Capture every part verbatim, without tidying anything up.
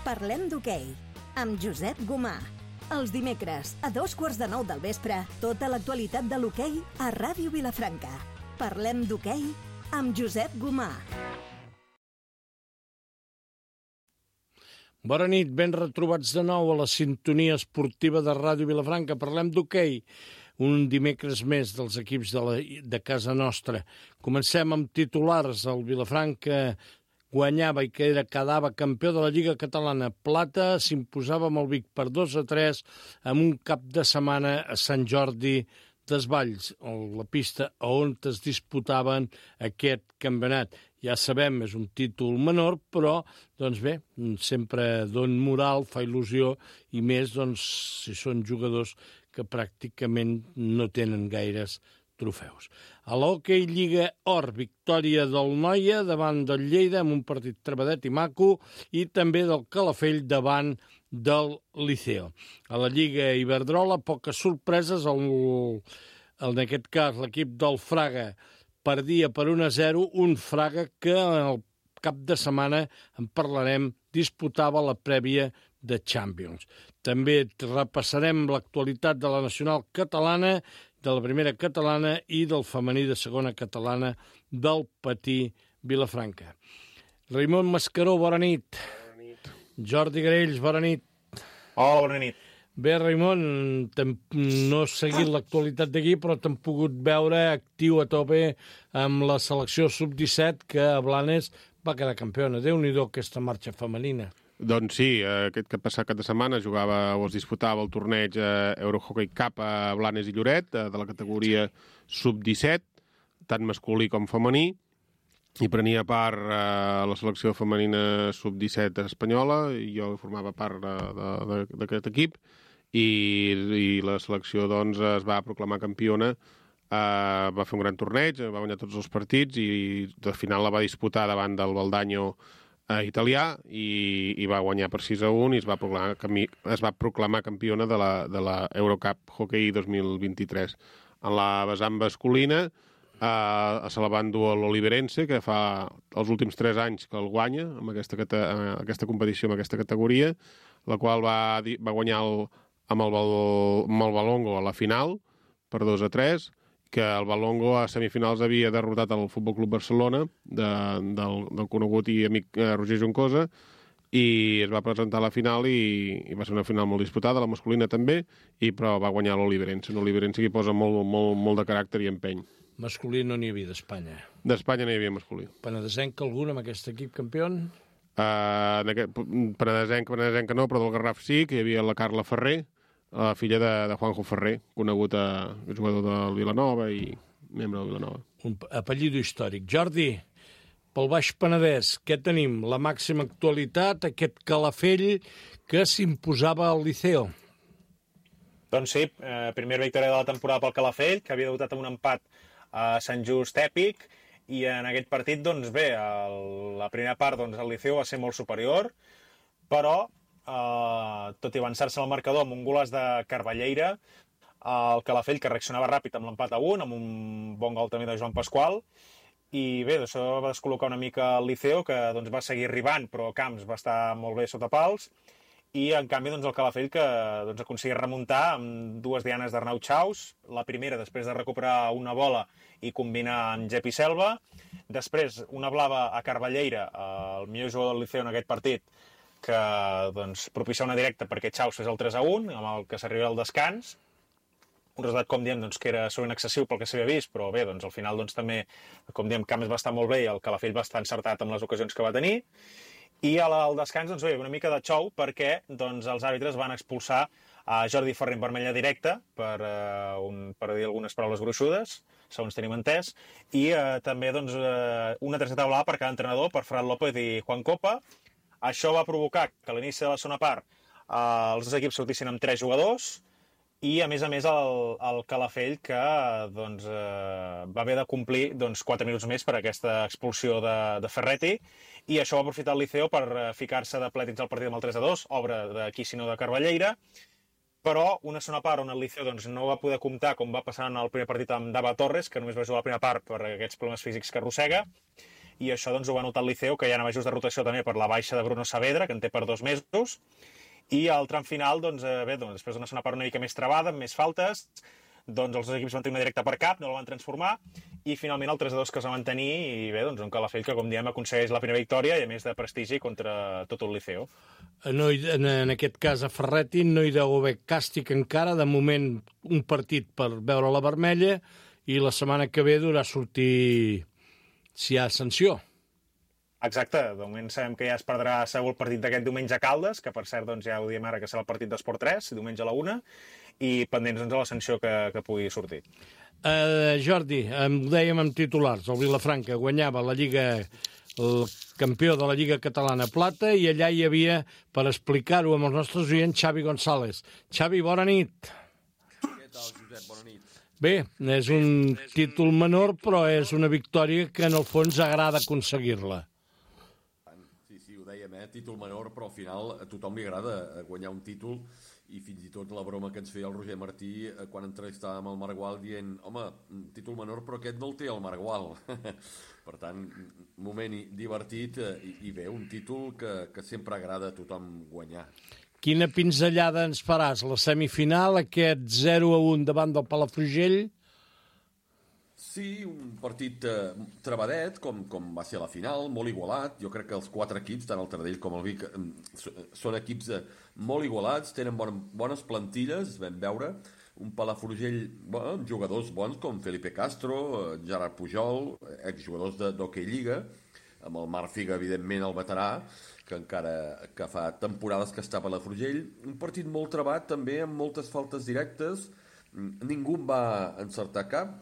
Parlem d'hoquei, amb Josep Gomà. Els dimecres, a dos quarts de nou del vespre, tota l'actualitat de l'hoquei a Ràdio Vilafranca. Parlem d'hoquei amb Josep Gomà. Bona nit, ben retrobats de nou a la sintonia esportiva de Ràdio Vilafranca. Parlem d'hoquei, un dimecres més dels equips de, la, de casa nostra. Comencem amb titulars. El Vilafranca guanyava i que era, quedava campió de la Lliga Catalana. Plata s'imposava amb el Vic per dos a tres amb un cap de setmana a Sant Jordi Desvalls, la pista on es disputaven aquest campionat. Ja sabem, és un títol menor, però, doncs bé, sempre don moral, fa il·lusió, i més, doncs, si són jugadors que pràcticament no tenen gaires trofeus. A l'Hockey Lliga Or, victòria del Noia davant del Lleida amb un partit trebadet i maco, i també del Calafell davant del Liceo. A la Lliga Iberdrola, poques sorpreses. El, en aquest cas, l'equip del Fraga perdia per un a zero, un Fraga que el cap de setmana, en parlarem, disputava la prèvia de Champions. També repassarem l'actualitat de la nacional catalana, de la primera catalana i del femení de segona catalana del Patí Vilafranca. Raimon Mascaró, bona nit. Bona nit. Jordi Garells, bona nit. Hola, bona nit. Bé, Raimon, no he seguit l'actualitat d'aquí, però t'hem pogut veure actiu a tope amb la selecció sub disset, que a Blanes va quedar campiona. Déu-n'hi-do aquesta marxa femenina. Doncs sí, aquest que passat cap de setmana jugava o es disputava el torneig Eurohockey Cup a Blanes i Lloret, de la categoria sub disset, tant masculí com femení, i prenia part a la selecció femenina sub disset espanyola, i jo formava part d'aquest equip, i, i la selecció doncs, es va proclamar campiona, uh, va fer un gran torneig, va guanyar tots els partits, i al final la va disputar davant del Valdaño uh, italià, i, i va guanyar per sis a un, i es va proclamar, es va proclamar campiona de la, de la Eurocup Hockey dos mil vint-i-tres. En la vessant masculina, Uh, se la va endur a l'Oliverense, que fa els últims tres anys que el guanya amb aquesta, uh, aquesta competició, amb aquesta categoria, la qual va, va guanyar el, amb, el, amb el Valongo a la final per dos a tres, que el Valongo a semifinals havia derrotat el Futbol Club Barcelona de, del, del conegut i amic uh, Roger Juncosa, i es va presentar a la final i, i va ser una final molt disputada, la masculina també, i però va guanyar l'Oliverense, un Oliverense que posa molt, molt, molt de caràcter i empeny. Masculí no n'hi havia d'Espanya. D'Espanya no hi havia masculí. Penedesenc algun amb aquest equip campió? Uh, Penedesenc, Penedesenc no, però del Garraf sí, que hi havia la Carla Ferrer, la filla de, de Juanjo Ferrer, conegut a jugador del Vilanova i membre del Vilanova. Un apellido històric. Jordi, pel Baix Penedès, què tenim? La màxima actualitat, aquest Calafell que s'imposava al Liceo. Doncs sí, eh, primera victòria de la temporada pel Calafell, que havia debutat amb un empat a Sant Just èpic, i en aquest partit, doncs bé, el, la primera part doncs, el Liceu va ser molt superior, però, eh, tot i avançar-se al marcador amb un golàs de Carballeira, el Calafell, que reaccionava ràpid amb l'empat a un, amb un bon gol també de Joan Pasqual, i bé, això va descol·locar una mica el Liceu, que doncs, va seguir arribant, però Camps va estar molt bé sota pals, i en canvi doncs, el Calafell que doncs, aconseguia remuntar amb dues dianes d'Arnau Chaus, la primera després de recuperar una bola i combinar amb Jepi Selva, després una blava a Carballeira, el millor jugador del Liceu en aquest partit, que doncs, propicià una directa perquè Chaus fes el tres a un, amb el que s'arriba al descans, un resultat, com diem, doncs, que era sovint excessiu pel que s'havia vist, però bé, doncs, al final doncs, també, com diem, Camps va estar molt bé i el Calafell va estar encertat amb les ocasions que va tenir. I al descans, doncs, bé, una mica de xou perquè doncs, els àrbitres van expulsar a Jordi Ferrer en vermella directa per, uh, un, per dir algunes paraules gruixudes, segons tenim entès, i uh, també doncs, uh, una targeta blava per cada entrenador, per Fran López i Juan Copa. Això va provocar que a l'inici de la segona part uh, els dos equips sortissin amb tres jugadors, i a més a més el, el Calafell que doncs, eh, va haver de complir doncs, quatre minuts més per aquesta expulsió de, de Ferretti, i això va aprofitar el Liceo per eh, ficar-se de ple dins el partit amb el tres a dos, obra d'aquí sinó de Carballeira, però una segona part on el Liceo doncs, no va poder comptar, com va passar en el primer partit amb Dava Torres, que només va jugar la primera part per aquests problemes físics que arrossega, i això doncs, ho va notar el Liceo, que hi ha ajust de rotació també per la baixa de Bruno Saavedra, que en té per dos mesos, i al tram final, doncs, eh, bé, doncs, després d'una segona part una mica més trebada, amb més faltes, doncs els dos equips van tenir una directa per cap, no la van transformar, i finalment el tres a dos que es va mantenir, i bé, doncs un Calafell que, com diem, aconsegueix la primera victòria i a més de prestigi contra tot el Liceo. No, en, en aquest cas a Ferretti no hi deu haver càstig encara, de moment un partit per veure la vermella, i la setmana que ve durà sortir si hi ha sanció. Exacte, de moment sabem que ja es perdrà segur el partit d'aquest diumenge a Caldes, que per cert doncs, ja ho diem ara que serà el partit d'Esport tres, diumenge a la una, i pendents doncs, de la sanció que, que pugui sortir. Uh, Jordi, em dèiem amb titulars, el Vilafranca guanyava la Lliga, el campió de la Lliga Catalana Plata, i allà hi havia, per explicar-ho amb els nostres oients, Xavi González. Xavi, bona nit. Què tal, Josep? Bona nit. Bé, és un títol menor, però és una victòria que en el fons agrada aconseguir-la. Sí, sí, ho dèiem, eh? Títol menor, però al final a tothom li agrada guanyar un títol, i fins i tot la broma que ens feia el Roger Martí quan entrevistàvem el Margual dient, home, títol menor, però aquest no el té el Margual. Per tant, moment divertit i, i bé, un títol que, que sempre agrada a tothom guanyar. Quina pinzellada ens faràs? La semifinal, aquest zero a un davant del Palafrugell? Sí, un partit eh, trebadet, com, com va ser a la final, molt igualat. Jo crec que els quatre equips, tant el Taradell com el Vic, eh, són equips eh, molt igualats, tenen bon, bones plantilles, vam veure. Un Palafrugell, bueno, jugadors bons com Felipe Castro, eh, Gerard Pujol, exjugadors d'Hockey Lliga, amb el Marc Figa, evidentment, el veterà, que encara que fa temporades que està a Palafrugell. Un partit molt trebat, també, amb moltes faltes directes. Ningú en va encertar cap.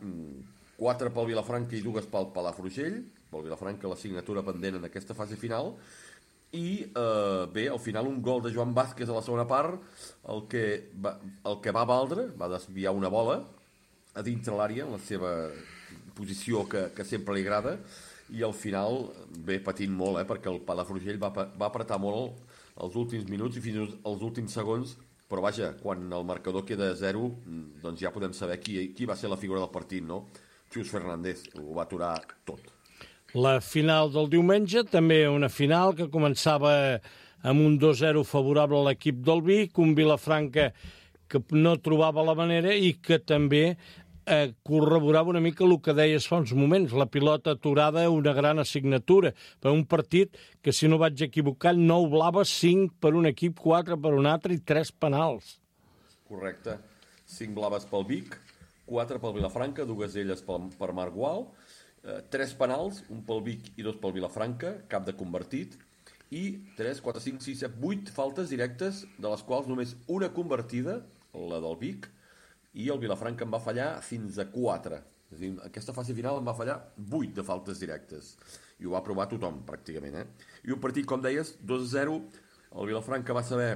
Quatre pel Vilafranca i dues pel Palafrugell. Pel Vilafranca la signatura pendent en aquesta fase final. I eh, bé, al final un gol de Joan Vázquez a la segona part, el que va, el que va valdre, va desviar una bola a dintre l'àrea, en la seva posició que, que sempre li agrada, i al final, bé, patint molt, eh, perquè el Palafrugell va, va apretar molt els últims minuts i fins als últims segons, però vaja, quan el marcador queda a zero, doncs ja podem saber qui, qui va ser la figura del partit, no? Xus Fernández ho va aturar tot. La final del diumenge, també una final que començava amb un dos zero favorable a l'equip del Vic, un Vilafranca que no trobava la manera i que també eh, corroborava una mica el que deies fa uns moments, la pilota aturada, una gran assignatura, per un partit que, si no vaig equivocar, nou blaves, cinc per un equip, quatre per un altre i tres penals. Correcte. Cinc blaves pel Vic, quatre pel Vilafranca, dues d'elles per Marc Gual, eh, tres penals, un pel Vic i dos pel Vilafranca, cap de convertit, i tres, quatre, cinc, sis, set, vuit faltes directes, de les quals només una convertida, la del Vic, i el Vilafranca en va fallar fins a quatre. És a dir, aquesta fase final en va fallar vuit de faltes directes. I ho va provar tothom, pràcticament. Eh? I un partit, com deies, dos a zero, el Vilafranca va saber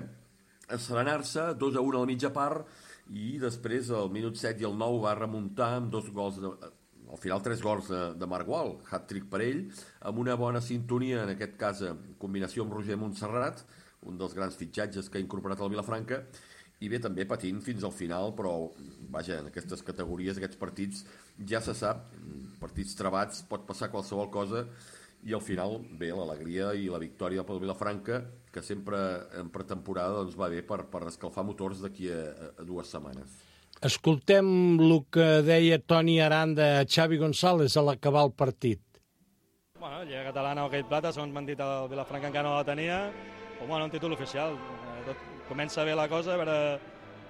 asserenar-se, dos a un a la mitja part, i després al minut set i el nou va remuntar amb dos gols, de, al final tres gols de, de Marc Gual, hat-trick per ell, amb una bona sintonia, en aquest cas en combinació amb Roger Montserrat, un dels grans fitxatges que ha incorporat el Vilafranca, i bé, també patint fins al final, però vaja, en aquestes categories, aquests partits, ja se sap, partits trebats, pot passar qualsevol cosa, i al final, bé, l'alegria i la victòria pel Vilafranca, que sempre en pretemporada doncs, va bé per, per escalfar motors d'aquí a, a dues setmanes. Escoltem el que deia Toni Aranda a Xavi González a l'acabar el partit. Bueno, Lliga Catalana, Hockey Plata, segons m'han dit, el Vilafranca encara no la tenia, però bueno, un títol oficial. Tot, comença bé la cosa, a veure,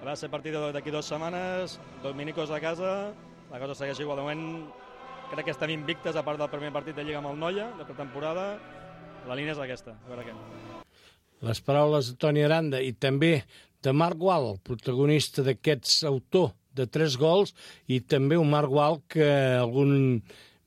a veure si el partit d'aquí dues setmanes, dos minicos a casa, la cosa segueix igual. De moment crec que estem invictes, a part del primer partit de Lliga amb el Noia, de pretemporada, la línia és aquesta, a veure què. Les paraules de Toni Aranda i també de Marc Gual, protagonista d'aquests autor de tres gols, i també un Marc Gual que algun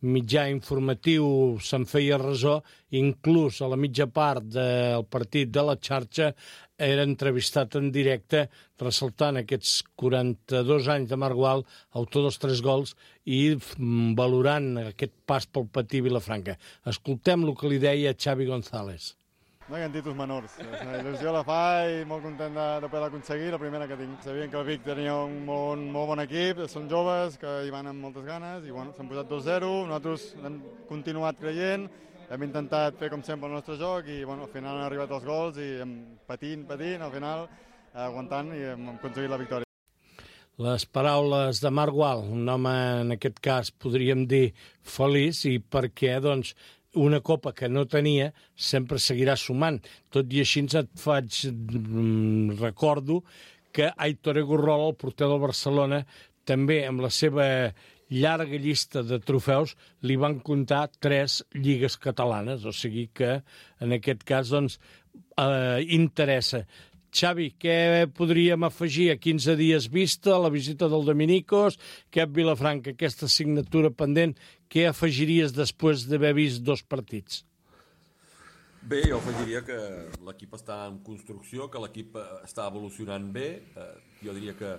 mitjà informatiu se'n feia ressò, inclús a la mitja part del partit de la xarxa era entrevistat en directe, ressaltant aquests quaranta-dos anys de Marc Gual, autor dels tres gols, i valorant aquest pas pel patí Vilafranca. Escoltem el que li deia Xavi González. No hi ha títols menors. La il·lusió la fa i molt content de, de poder aconseguir la primera que tinc. Sabien que el Vic tenia un molt, molt bon equip, són joves, que hi van amb moltes ganes, i bueno, s'han posat dos zero, nosaltres hem continuat creient, hem intentat fer com sempre el nostre joc i bueno, al final han arribat els gols i hem patint, patint, al final aguantant i hem aconseguit la victòria. Les paraules de Marc Gual, un home en aquest cas podríem dir feliç, i perquè doncs, una copa que no tenia sempre seguirà sumant. Tot i així et faig, recordo que Aitor Egorrola, el porter del Barcelona, també amb la seva llarga llista de trofeus li van comptar tres lligues catalanes, o sigui que en aquest cas doncs, eh, interessa. Xavi, què podríem afegir a quinze dies vista, la visita del Dominicos, aquest Vilafranca, aquesta assignatura pendent, què afegiries després d'haver vist dos partits? Bé, jo afegiria que l'equip està en construcció, que l'equip està evolucionant bé. Jo diria que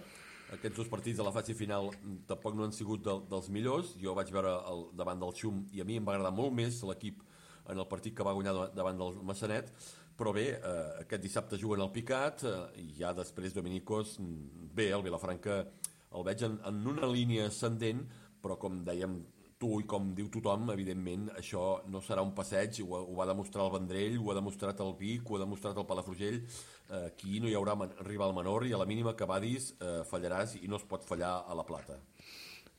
aquests dos partits de la fase final tampoc no han sigut de, dels millors. Jo vaig veure el, davant del Xum i a mi em va agradar molt més l'equip en el partit que va guanyar davant del Massanet. Però bé, eh, aquest dissabte juguen al Picat eh, i ja després Dominicos, bé, el Vilafranca el veig en, en una línia ascendent, però com dèiem tu i com diu tothom, evidentment això no serà un passeig, ho, ho va demostrar el Vendrell, ho ha demostrat el Vic, ho ha demostrat el Palafrugell, eh, aquí no hi haurà man, rival menor i a la mínima que vadis eh, fallaràs i no es pot fallar a la Plata.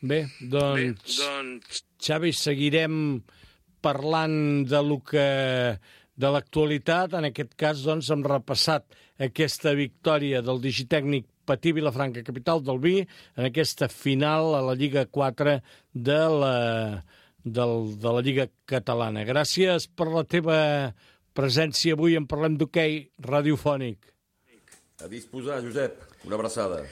Bé, doncs, Bé, doncs... Xavi, seguirem parlant de lo que... de l'actualitat, en aquest cas doncs, hem repassat aquesta victòria del digitècnic Patí Vilafranca, capital del vi, en aquesta final a la Lliga quatre de la, del, de la Lliga catalana. Gràcies per la teva presència avui en Parlem d'Hoquei radiofònic. A disposar, Josep. Una abraçada.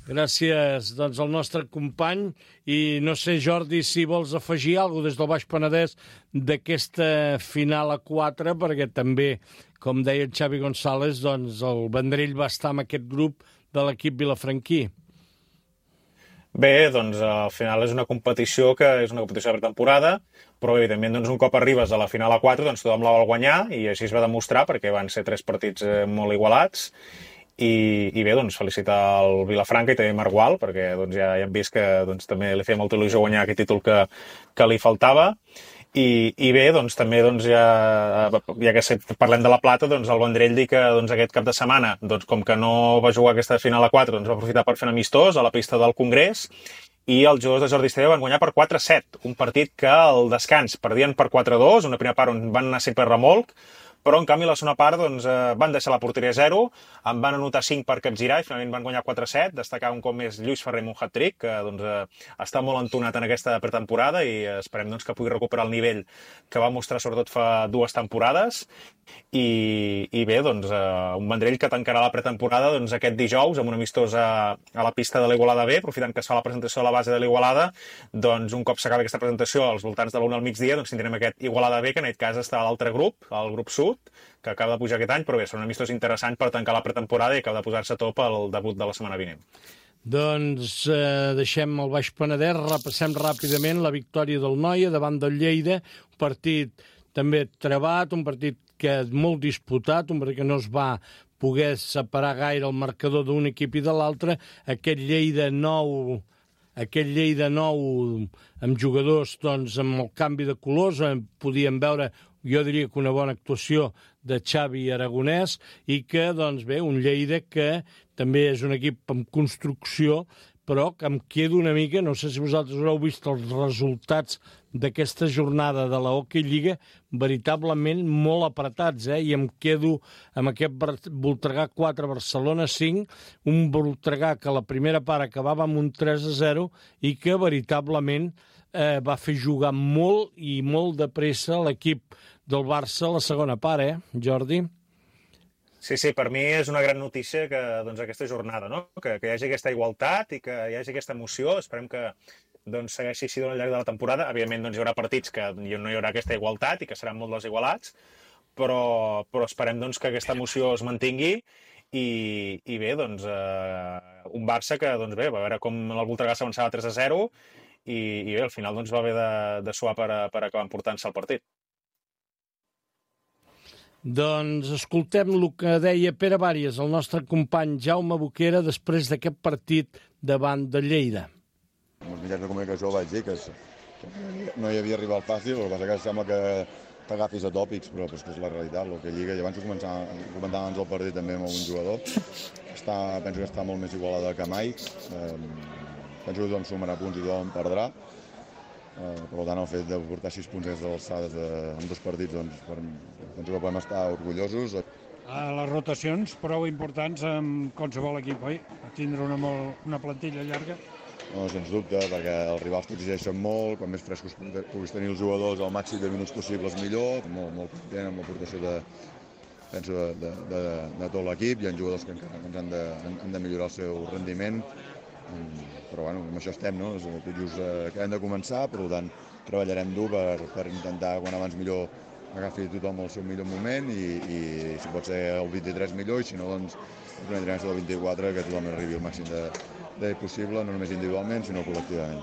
Gràcies doncs, al nostre company i no sé, Jordi, si vols afegir alguna cosa des del Baix Penedès d'aquesta final a quatre, perquè també, com deia el Xavi González, doncs, el Vendrell va estar amb aquest grup de l'equip vilafranquí. Bé, doncs al final és una competició que és una competició de pretemporada, però evidentment doncs, un cop arribes a la final a quatre doncs tothom la vol guanyar i així es va demostrar perquè van ser tres partits eh, molt igualats. I, i bé, doncs, felicitar el Vilafranca i també Marc Gual, perquè doncs, ja, ja hem vist que doncs, també li feia molta il·lusió guanyar aquest títol que, que li faltava. I, i bé, doncs, també, doncs, ja, ja que parlem de la Plata, doncs, el Vendrell dir que doncs, aquest cap de setmana, doncs, com que no va jugar aquesta final a quatre, doncs, va aprofitar per fer un amistós a la pista del Congrés i els jugadors de Jordi Esteve van guanyar per quatre a set, un partit que al descans perdien per quatre a dos, una primera part on van anar sempre a remolc, però en canvi la segona part doncs, eh, van deixar la porteria a zero, en van anotar cinc per capgirar i finalment van guanyar quatre a set, destacar un cop més Lluís Ferrer amb un hat-trick, que doncs, eh, està molt entonat en aquesta pretemporada i esperem doncs, que pugui recuperar el nivell que va mostrar sobretot fa dues temporades. I, i bé, doncs, eh, un Vendrell que tancarà la pretemporada doncs, aquest dijous amb un amistós a, a la pista de l'Igualada B, aprofitant que es fa la presentació a la base de l'Igualada, doncs un cop s'acaba aquesta presentació als voltants de l'una al migdia, doncs tindrem aquest Igualada B, que en aquest cas està a l'altre grup, el grup sud, que acaba de pujar aquest any, però bé, són un amistós interessant per tancar la pretemporada i acaba de posar-se a top el debut de la setmana vinent. Doncs eh, deixem el Baix Penedès, repassem ràpidament la victòria del Noia davant del Lleida, un partit també trebat, un partit que és molt disputat, un partit que no es va poder separar gaire el marcador d'un equip i de l'altre, aquest Lleida nou... Aquest Lleida nou amb jugadors doncs, amb el canvi de colors, podíem veure, jo diria que una bona actuació de Xavi Aragonès i que, doncs bé, un Lleida que també és un equip amb construcció, però que em quedo una mica, no sé si vosaltres haureu vist els resultats d'aquesta jornada de la Hockey Lliga, veritablement molt apretats, eh? I em quedo amb aquest Voltregà quatre, Barcelona cinc, un Voltregà que la primera part acabava amb un tres a zero i que veritablement eh, va fer jugar molt i molt de pressa l'equip del Barça a la segona part, eh, Jordi? Sí, sí, per mi és una gran notícia que doncs, aquesta jornada, no? que, que hi hagi aquesta igualtat i que hi hagi aquesta emoció. Esperem que doncs, segueixi així al llarg de la temporada. Evidentment doncs, hi haurà partits que no hi haurà aquesta igualtat i que seran molt desigualats, però, però esperem doncs, que aquesta emoció es mantingui i, i bé, doncs, eh, un Barça que doncs, bé, va veure com el Voltregà s'avançava tres a zero i, i bé, al final doncs, va haver de, de suar per, per acabar emportant-se el partit. Doncs escoltem el que deia Pere Bàries, el nostre company Jaume Boquera, després d'aquest partit davant de Lleida. En els mitjans de comunicació vaig dir que no hi havia rival fàcil, el que passa que sembla que t'agafis a tòpics, però és que és la realitat, el que lliga, i abans ho comentàvem abans del partit també amb algun jugador, està, penso que està molt més igualada que mai, eh, penso que tothom sumarà punts i tothom perdrà, eh, per tant el fet de portar sis punts des de l'alçades en dos partits, doncs, per, penso que podem estar orgullosos. A les rotacions prou importants en qualsevol equip, oi? Tindre una, molt, una plantilla llarga. No, sens dubte, perquè els rivals t'exigeixen molt, quan més frescos puguis tenir els jugadors al màxim de minuts possibles millor, molt, molt content amb l'aportació de, penso, de, de, de, de tot l'equip, hi ha jugadors que encara ens han de, han de millorar el seu rendiment, però bueno, amb això estem, no? Tot just eh, acabem de començar, per tant treballarem dur per, per intentar quan abans millor agafi tothom el seu millor moment i, i si pot ser el vint-i-tres millor, i si no, doncs el primer trimestre del vint-i-quatre que tothom arribi al màxim de de possible, no només individualment, sinó col·lectivament.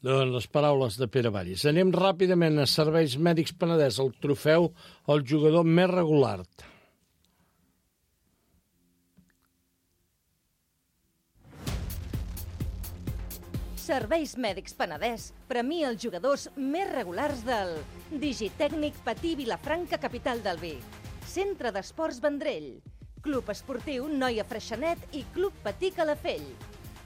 Doncs les paraules de Pere Vallis. Anem ràpidament a Serveis Mèdics Penedès, el trofeu al jugador més regular. Serveis Mèdics Penedès premia els jugadors més regulars del Digitècnic Patí Vilafranca, capital del vi, Centre d'Esports Vendrell, Club Esportiu Noia Freixenet i Club Patí Calafell.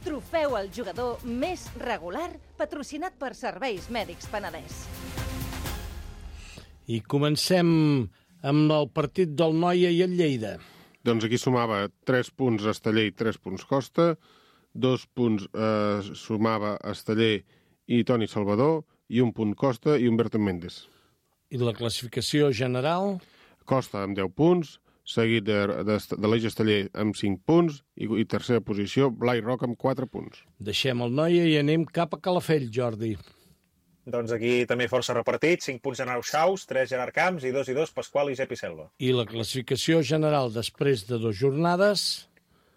Trofeu al jugador més regular, patrocinat per Serveis Mèdics Penedès. I comencem amb el partit del Noia i el Lleida. Doncs aquí sumava tres punts Esteller i tres punts Costa, dos punts eh, sumava Esteller i Toni Salvador, i un punt Costa i Humberto Méndez. I la classificació general? Costa amb deu punts, seguit de, de, de l'Eix Esteller amb cinc punts i, i tercera posició, Blai Roc amb quatre punts. Deixem el Noia i anem cap a Calafell, Jordi. Doncs aquí també força repartit, cinc punts Arnau Xaus, tres Gerard Camps i dos i dos Pasqual i Jepi Selva. I la classificació general després de dues jornades?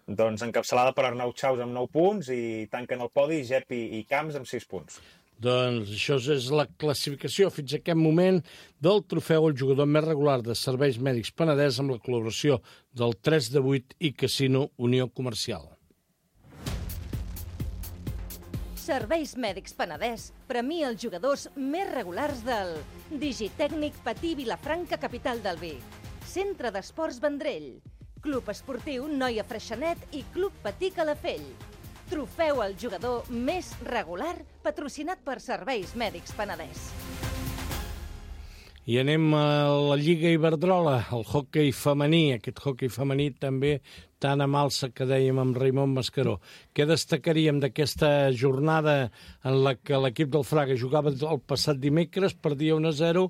Doncs encapçalada per Arnau Xaus amb nou punts i tanquen el podi Jepi i Camps amb sis punts. Doncs això és la classificació fins a aquest moment del trofeu al jugador més regular de Serveis Mèdics Penedès amb la col·laboració del tres de vuit i Casino Unió Comercial. Serveis Mèdics Penedès premia els jugadors més regulars del Digitècnic Patí Vilafranca, capital del vi, Centre d'Esports Vendrell, Club Esportiu Noia Freixenet i Club Patí Calafell. Trofeu al jugador més regular, patrocinat per Serveis Mèdics Penedès. I anem a la Lliga Iberdrola, el hoquei femení, aquest hoquei femení també tan a malsa que dèiem amb Raimon Mascaró. Què destacaríem d'aquesta jornada en la que l'equip del Fraga jugava el passat dimecres, perdia un a zero,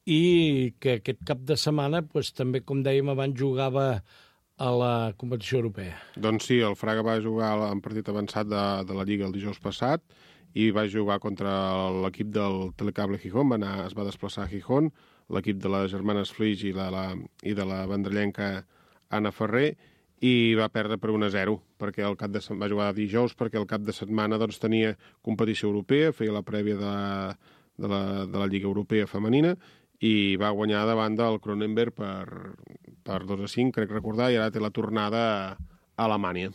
i que aquest cap de setmana, doncs, també, com dèiem abans, jugava a la competició europea? Doncs sí, el Fraga va jugar en partit avançat de, de la Lliga el dijous passat i va jugar contra l'equip del Telecable Gijón, va anar, es va desplaçar a Gijón, l'equip de les germanes Flix i de la, i de la vendrellenca Anna Ferrer, i va perdre per un a zero, perquè el cap de va jugar dijous, perquè el cap de setmana doncs, tenia competició europea, feia la prèvia de, de, la, de la Lliga Europea femenina, i va guanyar davant del Cronenberg per, per dos a cinc, crec recordar, i ara té la tornada a Alemanya.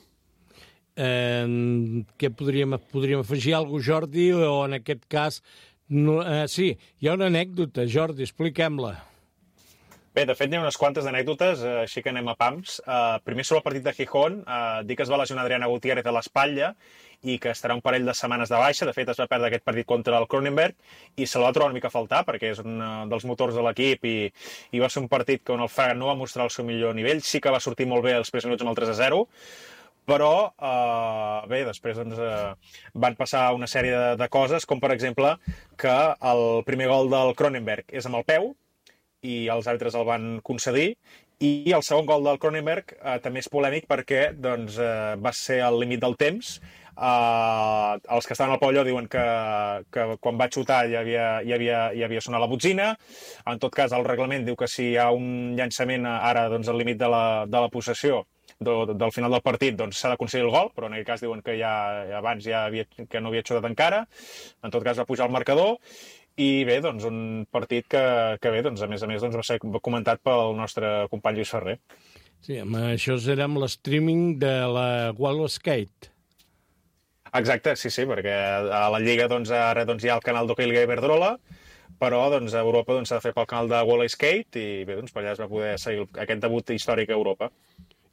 Eh, què podríem, podríem afegir alguna cosa, Jordi, o en aquest cas... No, eh, sí, hi ha una anècdota, Jordi, expliquem-la. Bé, de fet, n'hi ha unes quantes anècdotes, eh, així que anem a pams. Eh, primer sobre el partit de Gijón, eh, dir que es va lesionar Adriana Gutiérrez a l'espatlla i que estarà un parell de setmanes de baixa. De fet, es va perdre aquest partit contra el Cronenberg i se la va trobar una mica a faltar perquè és un dels motors de l'equip i, i va ser un partit que on el Fraga no va mostrar el seu millor nivell. Sí que va sortir molt bé els primers minuts amb el tres a zero, però eh, bé, després doncs, eh, van passar una sèrie de, de coses, com per exemple que el primer gol del Cronenberg és amb el peu i els àrbitres el van concedir, i el segon gol del Cronenberg eh, també és polèmic perquè doncs, eh, va ser al límit del temps. Uh, els que estaven al pavelló diuen que, que quan va xutar hi havia, hi, havia, hi havia sonat la botzina. En tot cas, el reglament diu que si hi ha un llançament ara doncs, al límit de la, de la possessió de, del final del partit, doncs s'ha de concedir el gol, però en aquest cas diuen que ja, abans ja havia, que no havia xutat encara. En tot cas va pujar el marcador. I bé, doncs un partit que, que bé, doncs, a més a més doncs, va ser comentat pel nostre company Lluís Ferrer. Sí, amb això era amb l'streaming de la Wall Skate. Exacte, sí, sí, perquè a la Lliga doncs, ara doncs, hi ha el canal d'hoquei Lliga Iberdrola, però doncs, a Europa doncs, s'ha de fer pel canal de Wall Skate i bé, doncs, per allà es va poder seguir aquest debut històric a Europa.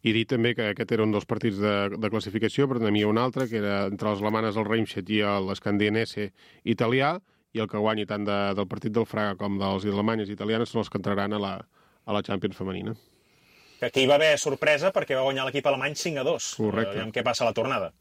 I dir també que aquest era un dels partits de, de classificació, però n'hi havia un altre, que era entre les alemanes el Reimstedt i l'Escandinense italià, i el que guanyi tant de, del partit del Fraga com dels alemanyes i italianes són els que entraran a la, a la Champions femenina. Que aquí va haver sorpresa perquè va guanyar l'equip alemany cinc a dos. Correcte. Aviam què passa a la tornada.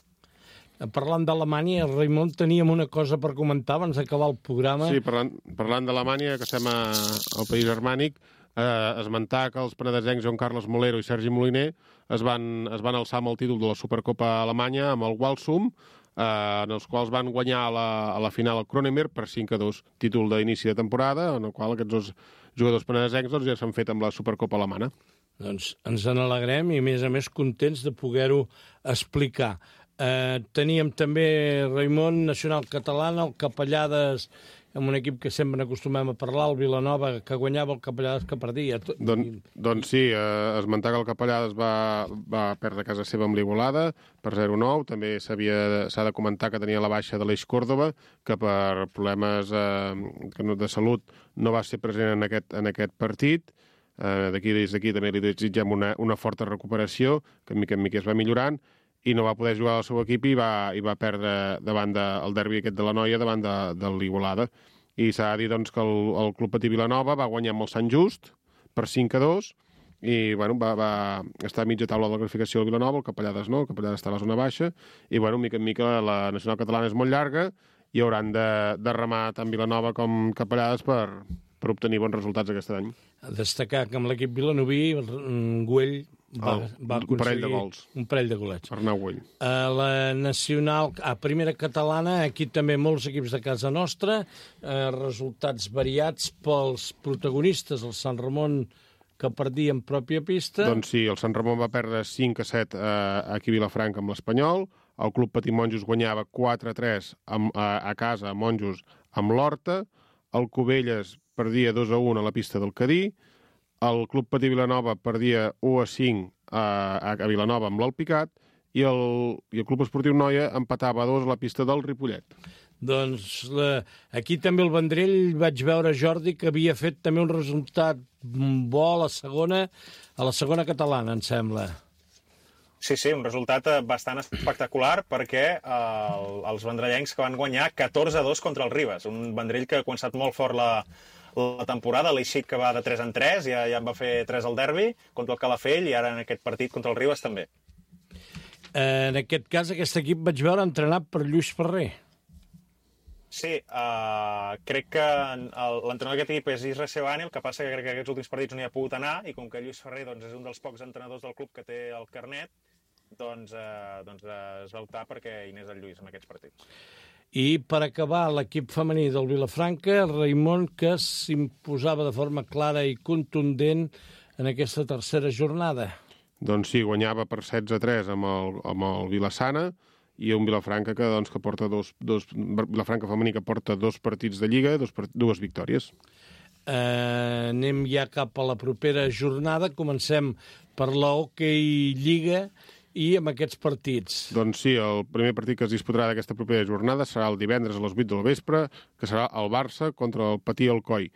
Parlant d'Alemanya, Raimon, teníem una cosa per comentar abans d'acabar el programa. Sí, parlant, parlant d'Alemanya, que estem a, al país germànic, eh, esmentar que els penedesencs Joan Carles Molero i Sergi Moliner es van, es van alçar amb el títol de la Supercopa Alemanya amb el Walsum, eh, en els quals van guanyar a la, a la final el Kronemer per cinc a dos, títol d'inici de temporada, en el qual aquests dos jugadors penedesencs doncs, ja s'han fet amb la Supercopa Alemana. Doncs ens en alegrem i, a més a més, contents de poder-ho explicar. Eh, teníem també, Raimon, Nacional Catalana, el Capellades, amb un equip que sempre acostumem a parlar, el Vilanova, que guanyava, el Capellades que perdia. Don, doncs sí, eh, esmentar que el Capellades va, va perdre a casa seva amb l'Igualada per zero a nou. També s'ha de comentar que tenia la baixa de l'Eix Còrdova, que per problemes eh, de salut no va ser present en aquest, en aquest partit. Eh, D'aquí des d'aquí també li desitgem una, una forta recuperació, que mica en mica es va millorant, i no va poder jugar al seu equip i va, i va perdre davant del derbi aquest de la Noia davant de, de l'Igualada. I s'ha de dir doncs, que el, el Club Patí Vilanova va guanyar amb el Sant Just per cinc a dos i bueno, va, va estar a mitja taula de la classificació el Vilanova, el Capellades no, el Capellades està a la zona baixa, i bueno, mica en mica la Nacional Catalana és molt llarga i hauran de, de remar tant Vilanova com Capellades per, per obtenir bons resultats aquest any. A destacar que amb l'equip vilanoví, Güell va, el, va aconseguir un parell de gols. Un parell de golets. Arnau Güell. A la Nacional, a Primera Catalana, aquí també molts equips de casa nostra, eh, resultats variats pels protagonistes, el Sant Ramon, que perdia en pròpia pista. Doncs sí, el Sant Ramon va perdre cinc a set eh, aquí a Vilafranca amb l'Espanyol, el Club Patí Monjos guanyava quatre a tres amb, a, a casa a Monjos amb l'Horta, el Cubelles perdia dos a un a la pista del Cadí, el Club Patí Vilanova perdia u a cinc a, a Vilanova amb l'Alpicat i el, i el Club Esportiu Noia empatava a dos a la pista del Ripollet. Doncs la, aquí també el Vendrell vaig veure, Jordi, que havia fet també un resultat bo a la segona, a la segona catalana, em sembla. Sí, sí, un resultat bastant espectacular perquè eh, els vendrellencs que van guanyar catorze a dos contra el Ribes, un Vendrell que ha començat molt fort la, la temporada, l'Eixic que va de tres en tres, ja, ja en va fer tres al derbi contra el Calafell i ara en aquest partit contra el Ribes també. En aquest cas, aquest equip vaig veure entrenat per Lluís Ferrer. Sí, uh, crec que l'entrenador d'aquest equip és Isra Sebani, el que passa que crec que aquests últims partits no hi ha pogut anar i com que Lluís Ferrer doncs, és un dels pocs entrenadors del club que té el carnet, doncs, uh, doncs uh, es va optar perquè hi anés el Lluís en aquests partits. I per acabar, l'equip femení del Vilafranca, Raimon, que s'imposava de forma clara i contundent en aquesta tercera jornada. Doncs sí, guanyava per setze a tres amb el, amb el Vilassana i un Vilafranca que, doncs, que porta dos, dos... Vilafranca femení que porta dos partits de Lliga, dos, dues victòries. Eh, anem ja cap a la propera jornada. Comencem per la Hockey Lliga i amb aquests partits. Doncs sí, el primer partit que es disputarà d'aquesta propera jornada serà el divendres a les vuit del vespre, que serà el Barça contra el Patí Alcoi.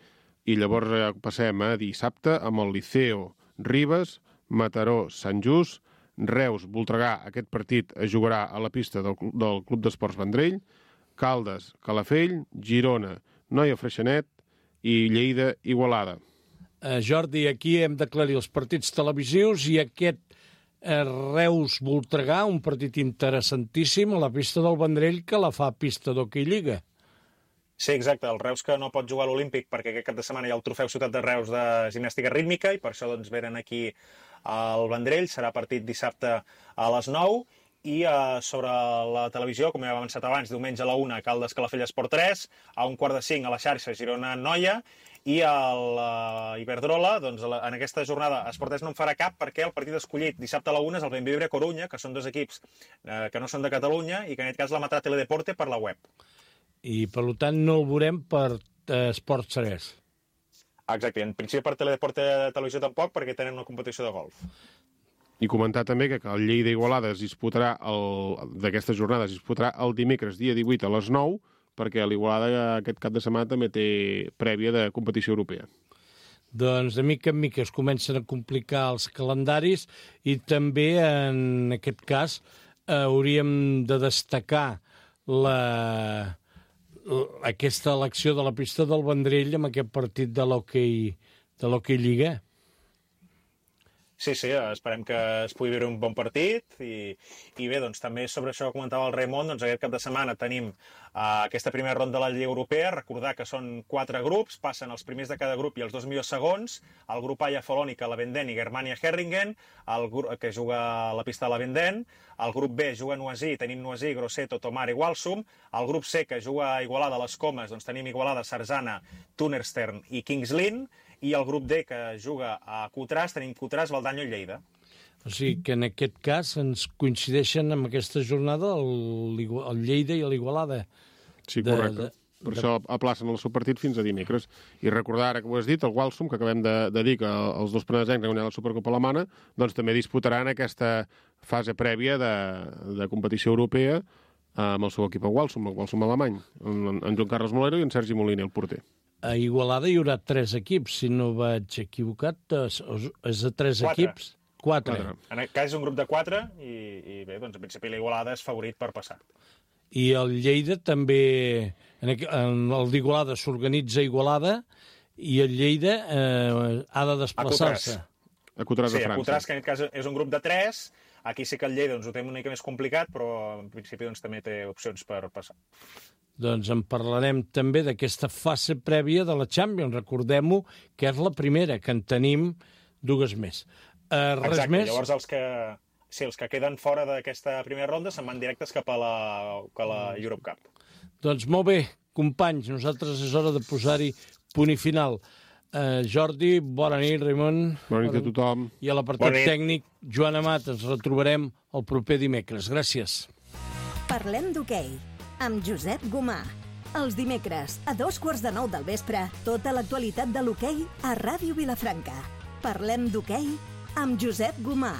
I llavors ja passem a dissabte amb el Liceo Ribes, Mataró Sant Just, Reus Voltregà. Aquest partit es jugarà a la pista del, del Club d'Esports Vendrell, Caldes Calafell, Girona Noia Freixenet i Lleida Igualada. Eh, Jordi, aquí hem d'aclarir els partits televisius i aquest eh, Reus Voltregà, un partit interessantíssim a la pista del Vendrell que la fa pista d'Hockey Lliga. Sí, exacte. El Reus que no pot jugar a l'Olímpic perquè aquest cap de setmana hi ha el trofeu Ciutat de Reus de gimnàstica rítmica i per això doncs, venen aquí al Vendrell. Serà partit dissabte a les nou i uh, sobre la televisió, com ja hem avançat abans, diumenge a la una, Caldes Calafell Esport tres, a un quart de cinc a la xarxa Girona Noia i a l'Iberdrola, doncs, en aquesta jornada Esport tres no en farà cap perquè el partit escollit dissabte a la una és el Benvibre Corunya, que són dos equips eh, que no són de Catalunya i que en aquest cas l'emetrà Teledeporte per la web. I, per tant, no el veurem per eh, Esport tres. Exacte, en principi per Teledeporte de televisió tampoc, perquè tenen una competició de golf. I comentar també que el Lleida Igualada es disputarà, d'aquesta jornada es disputarà el dimecres, dia divuit, a les nou, perquè l'Igualada aquest cap de setmana també té prèvia de competició europea. Doncs de mica en mica es comencen a complicar els calendaris i també en aquest cas hauríem de destacar la, aquesta elecció de la pista del Vendrell amb aquest partit de l'hoquei de l'hoquei Lliga. Sí, sí, esperem que es pugui viure un bon partit i, i bé, doncs també sobre això que comentava el Raimon, doncs aquest cap de setmana tenim uh, aquesta primera ronda de la Lliga Europea, recordar que són quatre grups, passen els primers de cada grup i els dos millors segons, el grup A hi ha Folònica, Lavenden i Germania Herringen, el grup, que juga a la pista de Lavenden, el grup B juga a Noisy, tenim Noisy, Grosseto, Tomar i Walsum, el grup C que juga a Igualada a les Comes, doncs tenim Igualada, Sarzana, Tunerstern i Kings Lynn, i el grup D, que juga a Cotràs, tenim Cotràs, Valdanyo i Lleida. O sigui que en aquest cas ens coincideixen amb aquesta jornada el, el Lleida i l'Igualada. Sí, correcte. De, de, per de... això aplacen el seu partit fins a dimecres. I recordar, ara que ho has dit, el Walsum, que acabem de, de dir que els dos penedesencs que han guanyat la Supercopa Alemana, doncs també disputaran aquesta fase prèvia de, de competició europea amb el seu equip a Walsum, el Walsum alemany, en, en Joan Carles Molero i en Sergi Moliner, el porter. A Igualada hi haurà tres equips, si no vaig equivocat. És de tres quatre. equips? Quatre. quatre. En aquest cas és un grup de quatre i, i bé, doncs en principi l'Igualada és favorit per passar. I el Lleida també... En el d'Igualada s'organitza Igualada i el Lleida eh, ha de desplaçar-se. A Cotràs de sí, França. A Cotràs, que en aquest cas és un grup de tres. Aquí sí que el Lleida doncs, ho té una mica més complicat, però en principi doncs, també té opcions per passar. Doncs en parlarem també d'aquesta fase prèvia de la Champions. Recordem-ho, que és la primera, que en tenim dues més. Uh, res Exacte, més? Llavors els que, sí, els que queden fora d'aquesta primera ronda se'n van directes cap a la, a la Europe Cup. Doncs molt bé, companys, nosaltres és hora de posar-hi punt i final. Uh, Jordi, bona nit, Raimon. Bona nit a tothom. I a l'apartat tècnic, Joan Amat, ens retrobarem el proper dimecres. Gràcies. Parlem d'hoquei amb Josep Gomà. Els dimecres, a dos quarts de nou del vespre, tota l'actualitat de l'hoquei a Ràdio Vilafranca. Parlem d'hoquei amb Josep Gomà.